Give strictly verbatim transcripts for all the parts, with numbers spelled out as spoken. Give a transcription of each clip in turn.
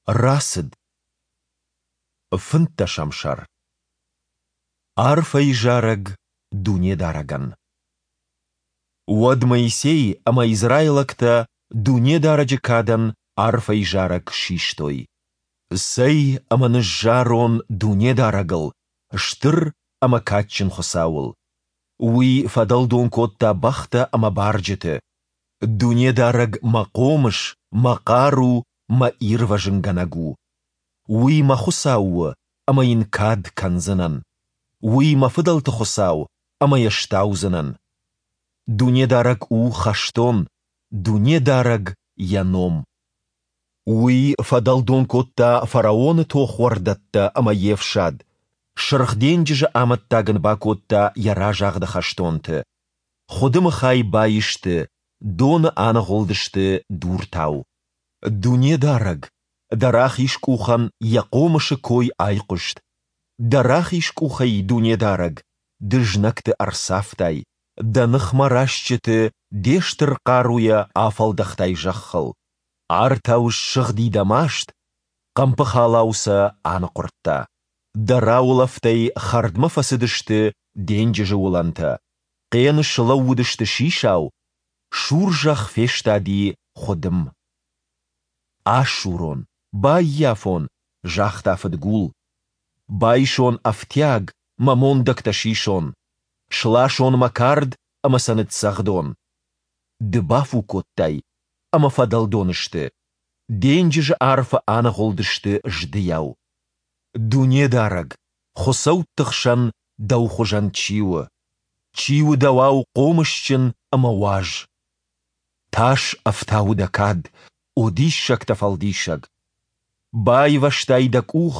Рацыд. Фынддӕсӕм сӕр. Арфӕйы зарӕг Дунедарӕгӕн. Уӕд Моисей ӕмӕ израилӕгтӕ Дунедарӕджы кадӕн арфӕйы зарӕг систой. Цӕй ӕмӕ ныззарон Дунедарӕгыл, стыр ӕмӕ кадджын Хуыцауыл! Уый фӕдӕлдон кодта бӕхтӕ ӕмӕ барджыты. Дунедарӕг мӕ хъомыс, мӕ хъару, мӕ ирвӕзынгӕнӕг у. Уый мӕ Хуыцау у, ӕмӕ Йын кад кӕндзынӕн. Уый мӕ фыдӕлты Хуыцау, ӕмӕ Йӕ стаудзынӕн. Дунедарӕг у хӕстон, Дунедарӕг – Йӕ ном. Уый фӕдӕлдон кодта фараоны тохуӕрдӕттӕ ӕмӕ йе фсад, Сырх денджызы амӕттаг ын бакодта йӕ разагъды хӕстонты. Хуыдымы хай баисты, доны аныгъуылдысты дуртау. Дунедарӕг, Дӕ рахиз къухӕн йӕ хъомысы кой айхъуыст. Дӕ рахиз къухӕй, Дунедарӕг, Ды знӕгты ӕрцавтай, Дӕ ныхмӕ растджыты Де стыр хъаруйӕ афӕлдӕхтай зӕххыл. Артау ссыгъди Дӕ маст, хъӕмпыхалау сӕ аныхъуырдта. Дӕ раулӕфтӕй хӕрдмӕ фӕцыдысты денджызы уылӕнтӕ, хъен слӕууыдысты сисау, сур зӕхх фестади хуыдым. Асурон, баййафон, загъта фыдгул. Байсон ӕфтиаг, мӕ мондӕгтӕ сисон. Сласон мӕ кард ӕмӕ сӕ ныццӕгъдон. Ды бафу кодтай, ӕмӕ фӕдӕлдон сты, денджызы арфы аныгъуылдысты здыйау. Дунедарӕг, хуыцӕутты хсӕн Дӕу хуызӕн чи у? Чи у Дӕуау хъомысджын ӕмӕ уаз? Тас ӕфтауы Дӕ кад, о диссӕгтӕ фӕлдисӕг! Байвӕзтай Дӕ къух,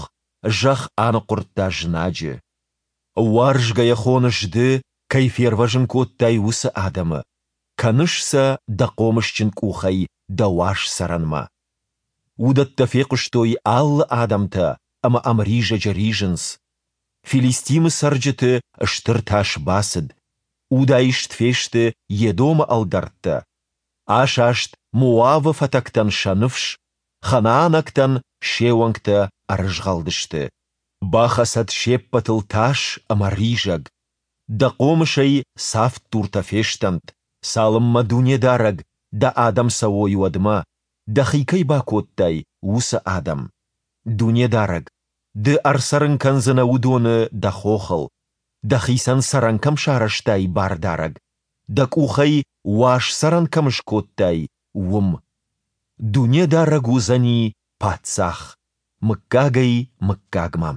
зӕхх аныхъуырдта знаджы. Уарзгӕйӕ хоныс Ды, кӕй фервӕзын кодтай, уыцы адӕмы, кӕныс сӕ Дӕ хъомысджын къухӕй Дӕ уаз цӕрӕнмӕ. Уыдӕттӕ фехъуыстой алы адӕмтӕ ӕмӕ ӕмризӕджы ризынц. Филистимы цӕрджыты стыр тас бацыд, удаист фесты Едомы ӕлдӕрттӕ. Асаст Моавы фӕтӕгтӕн сӕ ныфс, ханаанӕгтӕн се уӕнгтӕ ӕрызгъӕлдысты. Бахӕцӕд се ппӕтыл тас ӕмӕ ризӕг, Дӕ хъомысӕй цавддуртӕ фестӕнт, цалынмӕ Дунедарӕг, Дӕ адӕм цӕуой, уӕдмӕ, Дӕхи кӕй бакодтай, уыцы адӕм. Дунедарӕг, Ды ӕрцӕрын кӕндзынӕ уыдоны Дӕ хохыл, Дӕхицӕн цӕрӕн кӕм сарӕзтай, Бардарӕг, Дӕ къухӕй уаз цӕрӕн кӕм скодтай, уым. Дунедарӕг уыдзӕни Паддзах мыггагӕй-мыггагмӕ.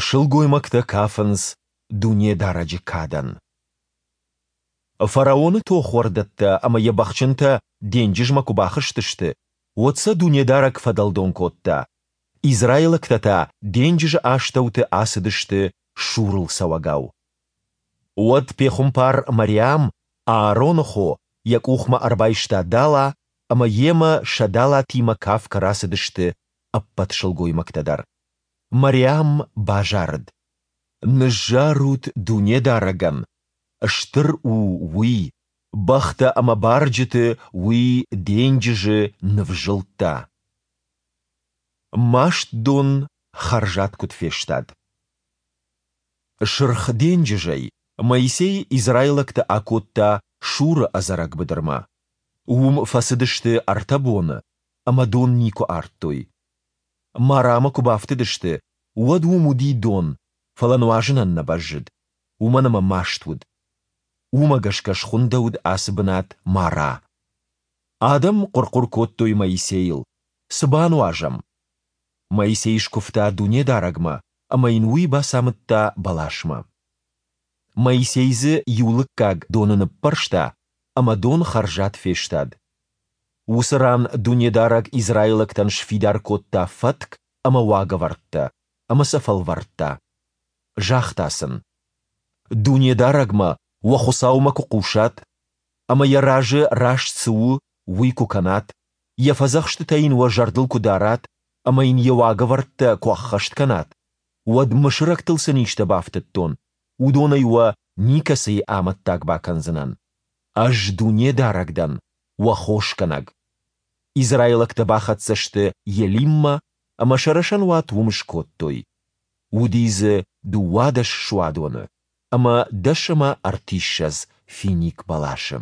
Сылгоймӕгтӕ кафынц Дунедарӕджы кадӕн. Фараоны тохуӕрдӕттӕ ӕмӕ йӕ бӕхджынтӕ денджызмӕ куы бахызтысты, уӕд сӕ Дунедарӕг фӕдӕлдон кодта, израилӕгтӕ та денджызы астӕуты ацыдысты сурыл цӕуӕгау. Уӕд пехуымпар Мариам, Аароны хо, йӕ къухмӕ ӕрбайста дала, ӕмӕ йемӕ сӕ далатимӕ кафгӕ рацыдысты ӕппӕт сылгоймӕгтӕ дӕр. Мариам базарыд. Ныззарут Дунедарӕгӕн, стыр у Уый, бӕхтӕ ӕмӕ барджыты Уый денджызы нывзылдта. Маст дон хӕрзад куыд фестад. Сырх денджызӕй Моисей израилӕгты акодта Шуры ӕдзӕрӕг быдырмӕ. Уым фӕцыдысты ӕртӕ боны ӕмӕ дон никуы ардтой. Марамӕ куы бафтыдысты, уӕд уым уыди дон, фӕлӕ нуазынӕн нӕ бӕззыд, уымӕн ӕмӕ маст уыд. Уымӕ гӕсгӕ схуындӕуыд ацы бынат Мара. Адӕм хъуыр-хъуыр кодтой Моисейыл, Цы бануазӕм? Моисей скуывта Дунедарӕгмӕ, ӕмӕ йын уый бацамыдта бӕласмӕ. Моисей дзы иу лыггаг доны ныппӕрста, ӕмӕ дон хӕрзад фестад. Уыцы ран Дунедарӕг израилӕгтӕн сфидар кодта фӕтк ӕмӕ уагӕвӕрдтӕ, ӕмӕ сӕ фӕлвӕрдта. Загъта сын: Дунедарӕгмӕ, уӕ Хуыцаумӕ куы хъусат, ӕмӕ Йӕ разы раст цы у, уый куы кӕнат, Йӕ фӕдзӕхстытӕ йын уӕ зӕрдыл куы дарат ӕмӕ йын йӕ уагӕвӕрдтӕ куы ӕххӕст кӕнат, уӕд мысырӕгтыл цы низтӕ бафтыдтон, уыдонӕй уӕ никӕцыйы амӕттаг бакӕндзынӕн. Ӕз Дунедарӕг дӕн, уӕ хосгӕнӕг. Израилӕгтӕ бахӕццӕ сты Елиммӕ ӕмӕ сӕ рӕсӕнуат уым скодтой. Уыди дзы дыууадӕс суадоны ӕмӕ дӕс ӕмӕ ӕртиссӕдз финикбӕласы.